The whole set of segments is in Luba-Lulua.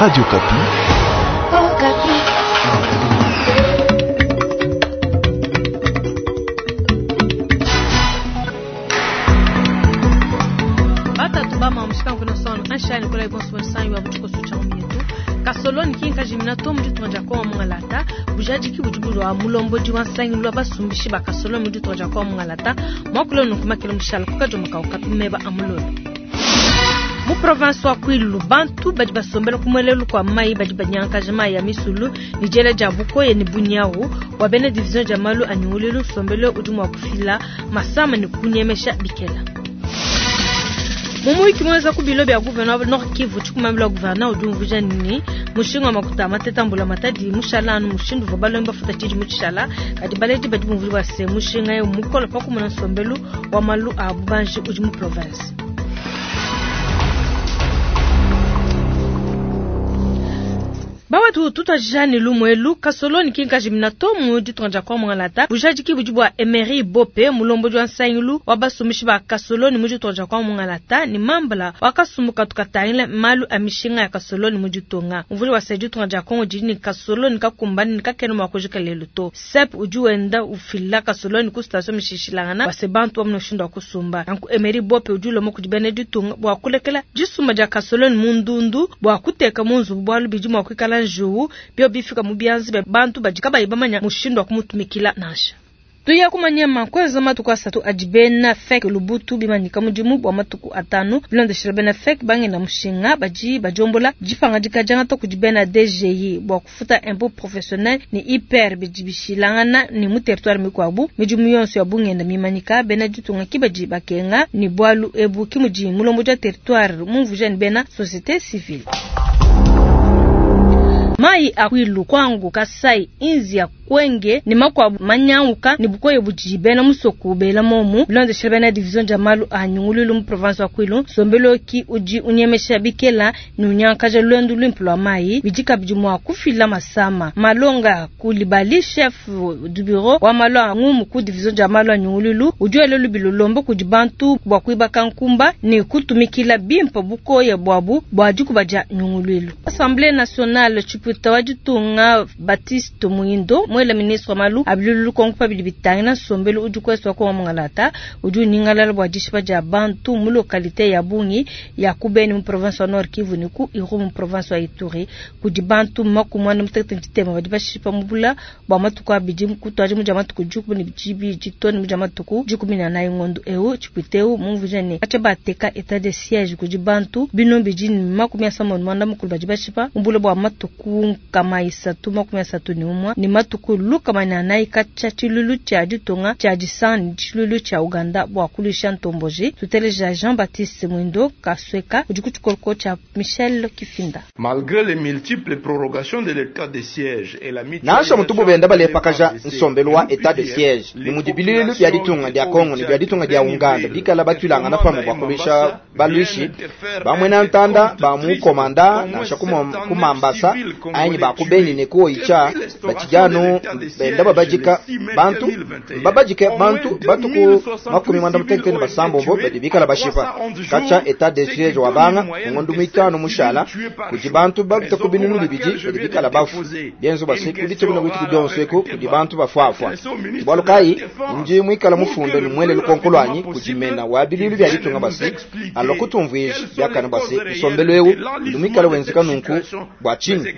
Radio Okapi. Oh, Batatu ba mamushikangu sono anshani kula ibonso sanyu wa butiko cha mietu kasoloni kinka jimina to mu ditunga dia kongo mungalata bujadiki budi bulwa mulombodi wa nsangilu lwa basumbishi ba kasoloni mu ditunga dia kongo mungalata mwakula nunkumakela mushala kukajomoka ukapimeba amulolo mu province wa Kwilu bantu badi basombela ku muelelu kua mai badi banyankaja mai ya misulu ni diela dia bukoye ni bunyawu wa bena division dia malu a nyunguluilu nsombelu udi mua kufila masama ni kunyemesha bikela. Mumuiki mweza ku bilo bya gouverneur Nord Kivu tshikumambila gouverneur udi umvuija nini mushinga wa makuta mateta mbula matadi mushala anu mushindu uvua balombi bafuta tshidi mu tshishala kadi baledi badi bumvua bua se mushinga eu mukolo pa kumona nsombelu wa malu a bubanji udi mu province. Bawatu tutwajani lumwelu kasoloni kinkaji minato mu ditunga dia kwa mungalata bujadiki budi bua Emery Bope mulombodi wa nsangilu wa basumishi ba kasoloni mu ditunga dia kwa mungalata ni mambala wa kasumbuka tukatangila malu a mishinga ya kasoloni mu ditunga mvuli wa se ditunga dia Kongo didi ni kasoloni kakumbani ni kakene mwa kujika lelu to sep udi wenda ufila kasoloni ku station mishishilangana wase bantu wa munoshindu wa kusumba nanku Emery Bope udi ulomo kudi bene ditunga bua kulekela disumba dia kasoloni mu ndundu bua kuteka mu nzubu bualu bidi mua kuikala njuwu bio bifika mu bianzi bia bantu badi kabayi bamanya mushindu wa kumutumikila nansha. Tuya kumanyama kweza matuku asatu adi bena FEC lubutu bimanyika mudimu bua matuku atanu bilondeshela bena FEC bangenda mushinga badi badiombola dipangadika diangata kudi bena DGI bua kufuta impôt professionnel ni IPR bidi bishilangana ni mu territoire mikuabu midimu yonso ya bungenda mimanyika bena ditunga ki badi bakenga ni bualu ebu ki mudi mulombodi wa territoire mumvuija ni bena société civile. Mai a Kwilu, Kwangu, Kasai, Inzia, Kwenge ni makwabu manyauka ni bukoye budi bena musoku bela momu bilondeshela bena division dia malu a nyunguluilu mu province wa Kwilu nsombelu ki udi unyemesha bikela ni unyankaja lwendu luimpe lua mai bidi kabidi mua kufila masama malonga kulibali chef du bureau wa malu a ngumu ku division dia malu a nyunguluilu udi wela lubilo lomba kudi bantu bua kuibaka nkumba ni kutumikila bimpe bukoye buabu bua dikuba dia nyunguluilu. Assemblée nationale tshipuita wa ditunga Baptiste Muindo mwela ministre wa malu abilulu kongo pa bidi bitangila nsombelu udi kwesi wa kongo mungalata udi uningalala bua dishipa dia bantu mu localité ya Bungi ya ku Beni mu province wa Nord Kivu ni ku Irumu mu province wa Ituri kudi bantu makumi ane mutekete ntshitema badi bashipa mu bula bua matuku abidi kutuadi mu dia matuku dikumi ne dibidi to ne mu dia matuku dikumi ne anayi ngondo eu tshipuita eu mumvuija ne katshia bateka état de siège kudi bantu bino bidi ne makumi asambombo ne muanda mukulu badi bashipa mu bula bua matuku nkama isatu makumi asatu ne umue ne matuku lukama ne anayi katshia tshilulu tshia ditunga tshia disanga ne tshilulu tshia Uganda bua kuluisha ntomboji. Tuteleja Jean-Baptiste Mwindo Kasweka udi ku tshikoloko tshia Michel Kifinda. Malgré les multiples prorogations de l'état de siège et la Nansha mutubu benda balepakaja nsombelu wa état de siège ni mudi bilulu bia ditunga dia Kongo ni bia ditunga dia Uganda bikala batwilangana pamwe bua kuluisha baluishi bamwena ntanda ba mu komanda nansha kumambasa anyi ba ku Beni ne ku Oicha batshijanu benda babajika bantu babajike bantu batuku makumi mwanda mutekete ne basambombo badi bikala bashipa katshia état de siège wa banga ngondo mitano mushala kudi bantu babita ku binunu bibidi badi bikala bafu bienzo basi kudi tshibuna kuitu kudionso eku kudi bantu bafuafua bualu kayi ndi mwikala mufunde ni mwele lukonko lwanyi kudi mena wa bilulu bia ditunga basi alo kutumvuija biakana basi nsombelu eu udi mwikala wenzeka nunku bua tshinyi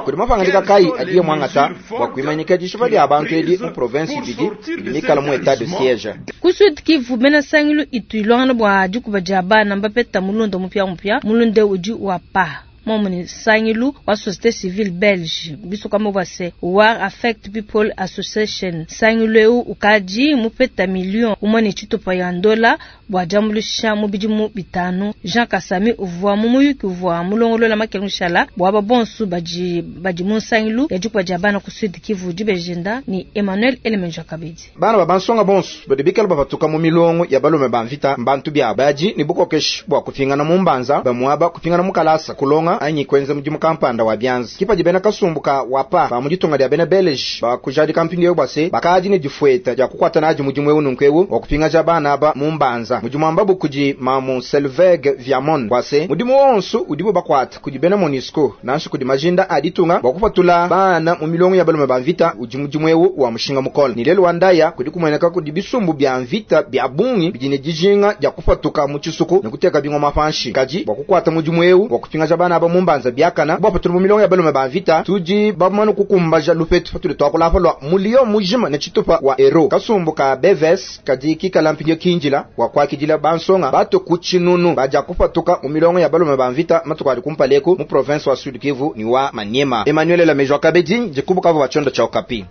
kudi mapangadika kayi adiye mwangata bua kuimanyika dishipa dia bantu edi mu province ibidi idi mikala mu état de siège. Ku Sud Kivu bena sangilu itu ilongana bua dikuba dia bana mbapeta mulunda mupia mupia mulunda udi wa pa momo ni sangilu wa société civile belge biso kama bua se War Affect People Association sangilu eu ukadi mupeta million umwe ne tshitupa ya ndola bua diambuluisha mu bidimu bitanu. Jean Kasami uvua mu muyuki uvua mulongolola makele mushala bua aba bonso badi badi mu nsangilu ya dikuba dia bana ku Sud Kivu dibejenda ni Emmanuel Elemenja kabidi. Bana ba bansonga bonso badi bikala bapatuka mu milongo ya balume ba mvita mbantu bia badi ni bukokeshi bua kupingana mu mbanza bamuaba kupingana mu kalasa kulonga kulonga anyi kuenza mudimu kampanda wa bianza. Ke padi bena kasumbu ka WAPA ba mu ditunga dia bena Belge bakujadika mpindieu bua se, bakadi ne difueta dia kukuata nadi mudimu eu nunku eu wa kupingaja bana aba mu mbanza. Mudi muambabu kudi mamu Selveg Viamon bua se, mudimu wonso udibu bakuata kudi bena Monusco nansha kudi majinda a ditunga bua kupatula bana mu milongo ya balume ba mvita udi mudimu eu wa mushinga mukole. Ne lelu wa ndaya kudi kumueneka kudi bisumbu bia mvita bia bungi bidi ne dijinga dia kupatuka mu tshisuku ne kuteka bingoma panshi. Kadi bua kukuata mudimu eu wa kupingaja bana aba mu mbanza biakana kubapatula mu milongo ya balume ba mvita, tudi bamane kukumbaja lupetu patudi tuakula apa lua muliyo mujima ne tshitupa wa euro. Kasumbu ka BVS kadi kikala mpindieu kindila bua kuakidila bansonga batue ku tshinunu badia kupatuka mu milongo ya balume ba mvita matuku adi kumpala eku mu province wa Sud Kivu ne wa Maniema. Emmanuel Lamejo Kabedi, dikubuka bua tshiondo tshia Okapi.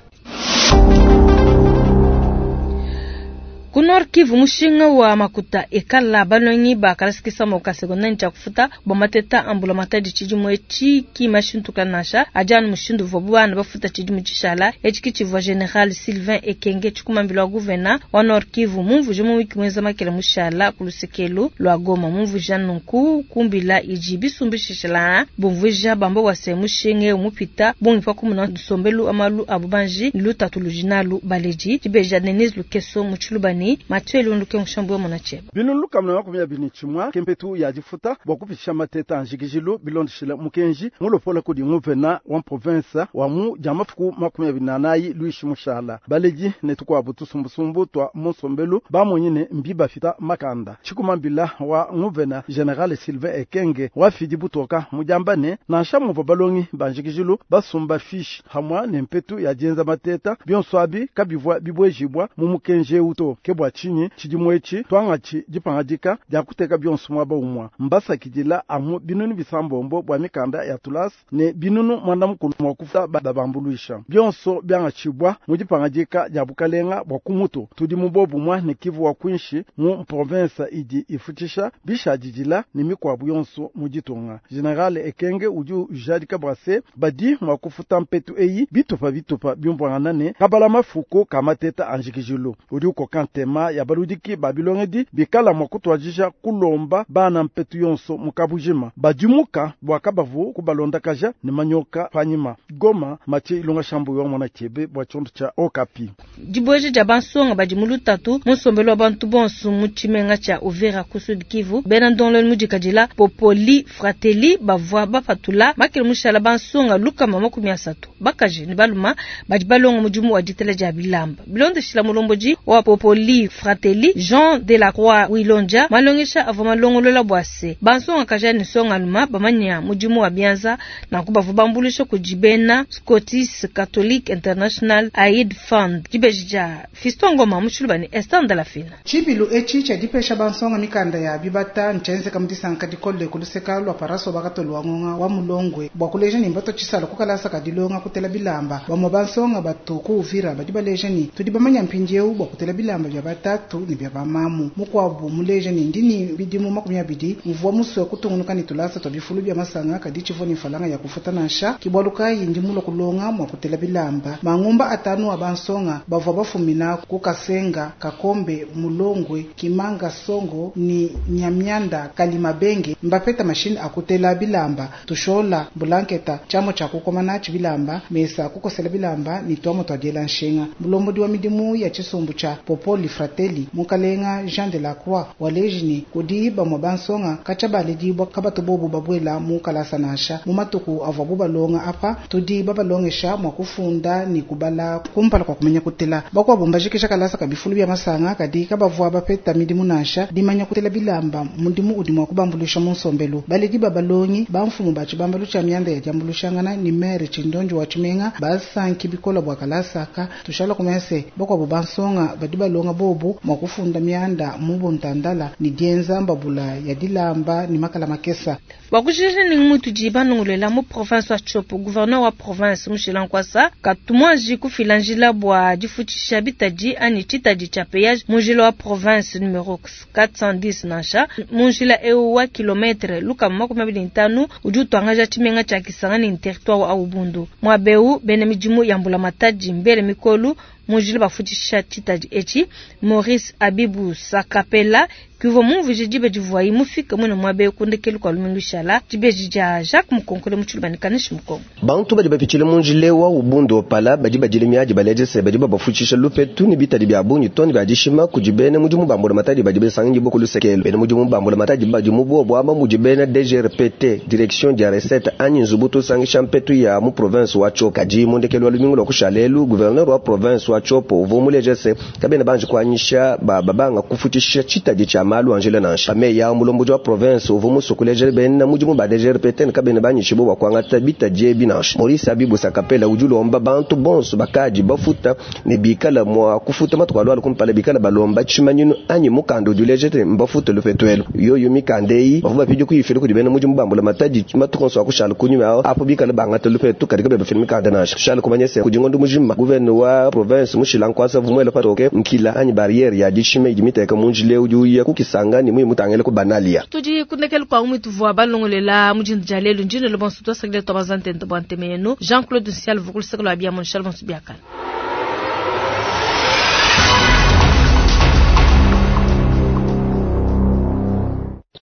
Ku Nord Kivu, mushinga wa makuta ekala balongi ba kalasa kisama ka secondaire tshia kufuta bua mateta a mbulamatadi tshidimu etshi ki mashintuka nansha adi anu mushindu uvuabu bana bafuta tshidimu tshishala etshi ki tshivua General Sylvain Ekenge tshikumambila wa gouvena wa Nord Kivu mumvuije mu wiki muenza makela mushala ku lusekelu lua Goma. Mumvuija nunku kumbila idi bisumbu shishala bumvuija bamba bua se mushinga eu mupita bungi pa kumona nsombelu wa malu a bubanji ne lutatu ludi nalu baledi. Dibeja Denise Lukeso mu Tshiluba ne Mathieu Elundu Mushambu wa Mona Tshieba. Binunu 121 ke mpetu ya difuta bua kupitisha mateta a njikijilu bilondeshile mukenji mulopola kudi nguvena wa province wa mu dia mafuku 24 Luishi Mushala. Baledi ne tukuabu tusumbusumbu tua munsombelu bamonyi ne mbi bafita makanda. Tshikumambila wa nguvena General Sylvain Ekenge wafidi butoka mudiamba ne nansha muvua balongi ba njikijilu basumba fiche hamwa ne mpetu ya dienza mateta bionso abi kabivua bibwejibwa mu mukenji eu to. Ke bua tshinyi tshidimu etshi tuangatshi dipangadika dia kuteka bionso muaba umua mbasakidila amu binunu bisambombo bua mikanda ya tulasa ne binunu mwanda mukulu mua kufuta babambuluisha bionso biangatshibwa mu dipangadika dia bukalenga bua kumutu. Tudi mu bobumwa ne Kivu wa kwinshi mu province idi ifutisha bishadidila ne mikuabu yonso mu ditunga. General Ekenge udi ujadika bua se badi mua kufuta mpetu eyi bitupa bitupa biumvuangana ne kabala mafuku ka mateta a njikijilu. Udi ukoka ntema ya baludiki ba bilongedi bikala mua kutuadija kulomba bana mpetu yonso mu kabujima badimuka bua kabavu kubalondakaja ne manyoka panyima. Goma, Mathieu Ilunga Shambu wa Mona Tshiebe bua tshiondo tshia Okapi. Dibueja dia bansonga badi mu lutatu mu nsombelu wa bantu bonso mu tshimenga tshia Uvira ku Sud Kivu. Bena ndongoluelu mudikadila Popoli Fratelli bavua bapatula makele mushala bansonga 130 bakaji ne baluma badi balonga mudimu wa ditela dia bilamba. Bilondeshila mulombodi wa Popoli Fratelli Jean de la Croix Wilonja malongesha avua malongolola bua se bansonga kaja ne nsonga luma bamanya mudimu wa bianza nanku bavua bambuluisha kudi bena Scottish Catholic International Aid Fund. Dibeji dia Fiston Ngoma mu Tshiluba ne Esther Ndalafina. Tshibilu etshi tshia dipesha bansonga mikanda ya bibata ntshienzeka mu disanka dikole ku luseka lua paraso bakatolo wa ngonga wa mulongwe bua kuleja ne mbato tshisala ku kalasa ka dilonga kutela bilamba. Bamue bansonga batu ku Uvira badi baleja ne tudi bamanya mpindieu bua kutela bilamba bia batatu ne bia bamamu. Mukuabu muleja ne ndi ne bidimu 20 mvua musue kutungunuka ne tulasa tua bifulu bia masanga kadi tshivua ne mfalanga ya kufuta nansha. Ke bualu kayi ndi mulue kulonga mua kutela bilamba. Mangumba atanu a bansonga bavua bafumina ku Kasenga, Kakombe, Mulongwe, Kimanga, Songo ne Nyamianda, Kalimabenge mbapeta mashine a kutela bilamba, tushola, bulanketa, tshiamu tshia kukoma natshi bilamba, mesa a kukosela bilamba ne tuamu tua diela nshinga. Mulombodi wa midimu ya tshisumbu tshia Popoli Fratelli Mukalenga Jean de la Croix waleji ne kudi bamue bansonga katshia baledibua kabatu bobu babuela mu kalasa nansha. Mu matuku avuabu balonga apa tudi babalongesha mua kufunda ne kubala kumpala kua kumanya kutela. Bakuabu mbajikisha kalasa ka bifulu bia masanga kadi kabavua bapeta midimu nansha. Dimanya kutela bilamba mudimu udi mua kubambuluisha mu nsombelu. Baledi ba balongi bamfumu ba tshibambalu tshia mianda ya diambuluishangana ne maire Tshindonji wa Tshimenga basanki bikola bua kalasa aka. Tushala kumese bakuabu bansonga badi balonga bobu mua kufunda mianda mu buntandala ne dienza mbabula ya dilamba ne makala makesa. Bua kujikija ne mutudi banongolela mu province wa Tshopo, gouverneur wa province Mushila Nkwasa katumwaji kufila njila bua difutshisha bitadi anyi tshitadi tshia péage mu njila wa province numero 410 nansha mu njila eu wa kilometre 125 udi utuangaja tshimenga tshia Kisangani ni territoire wa Ubundu. Mwabeu bena midimu ya mbulamatadi mbele mikolu mu njila bafutshisha tshitadi etshi. Maurice Abibu Sakapela Ki uvua mumvuije diba divuayi mufike muine muaba eu ku ndekelu kua lumingu lushala. Dibeji dia Jacques Mukonkole mu Tshiluba ne Kanishi Mukongo. Bantu badi bapitshile mu njila wa ubundu opala badi badila miadi baleja se badi babafutshisha lupetu ne bitadi bia bungi to ne bia dishima kudi bena mudimu ba mbulamatadi badi basanganyibua ku lusekelo. Bena mudimu ba mbulamatadi badi mu buobu aba mudi bena DGRPT, Direction dia recette anyi nzubu tusangisha mpetu ya mu province wa Tshopo. Kadi mu ndekelu wa lumingu lua kushala elu, gouverneur wa province wa Tshopo uvua muleja se kabena banji kuanyisha ba babanga kufutshisha tshitadi tshia malu a njila nansha. Meyi a mulombodi wa province uvua musue kuleja bena mudimu ba DGRPT ne kabena banyishibue bua kuangata bitadi ebi nansha. Maurice Abibu Sakapela udi ulomba bantu bonso bakadi bafuta ne bikala mua kufuta matuku alualua kumpala bikala balomba tshimanyinu anyi mukanda udi uleja te mbafuta lupetu elu. Yoyo mikanda eyi bavua bapidi kuyifila kudi bena mudimu ba mbulamatadi matuku onso akushala kunyuma aho apo bikala bangata lupetu kadi kabena bafila mikanda nansha. Tushala kumanya se kudi ngondo mujima gouverneur wa province mushila nkwasa vumuela patoke nkila anyi barriere ya dishima idi miteka mu njila udi uya ku Kisangani muyi mutangile ku Banalia. Tudi kundekelu kwa umwe tuvua balongolela mu dindu dia lelu ndino le bonso twasakile twabaza ntente bua nteme yenu. Jean-Claude Nsial vukulu sekelo wa bia mon bonso biakana.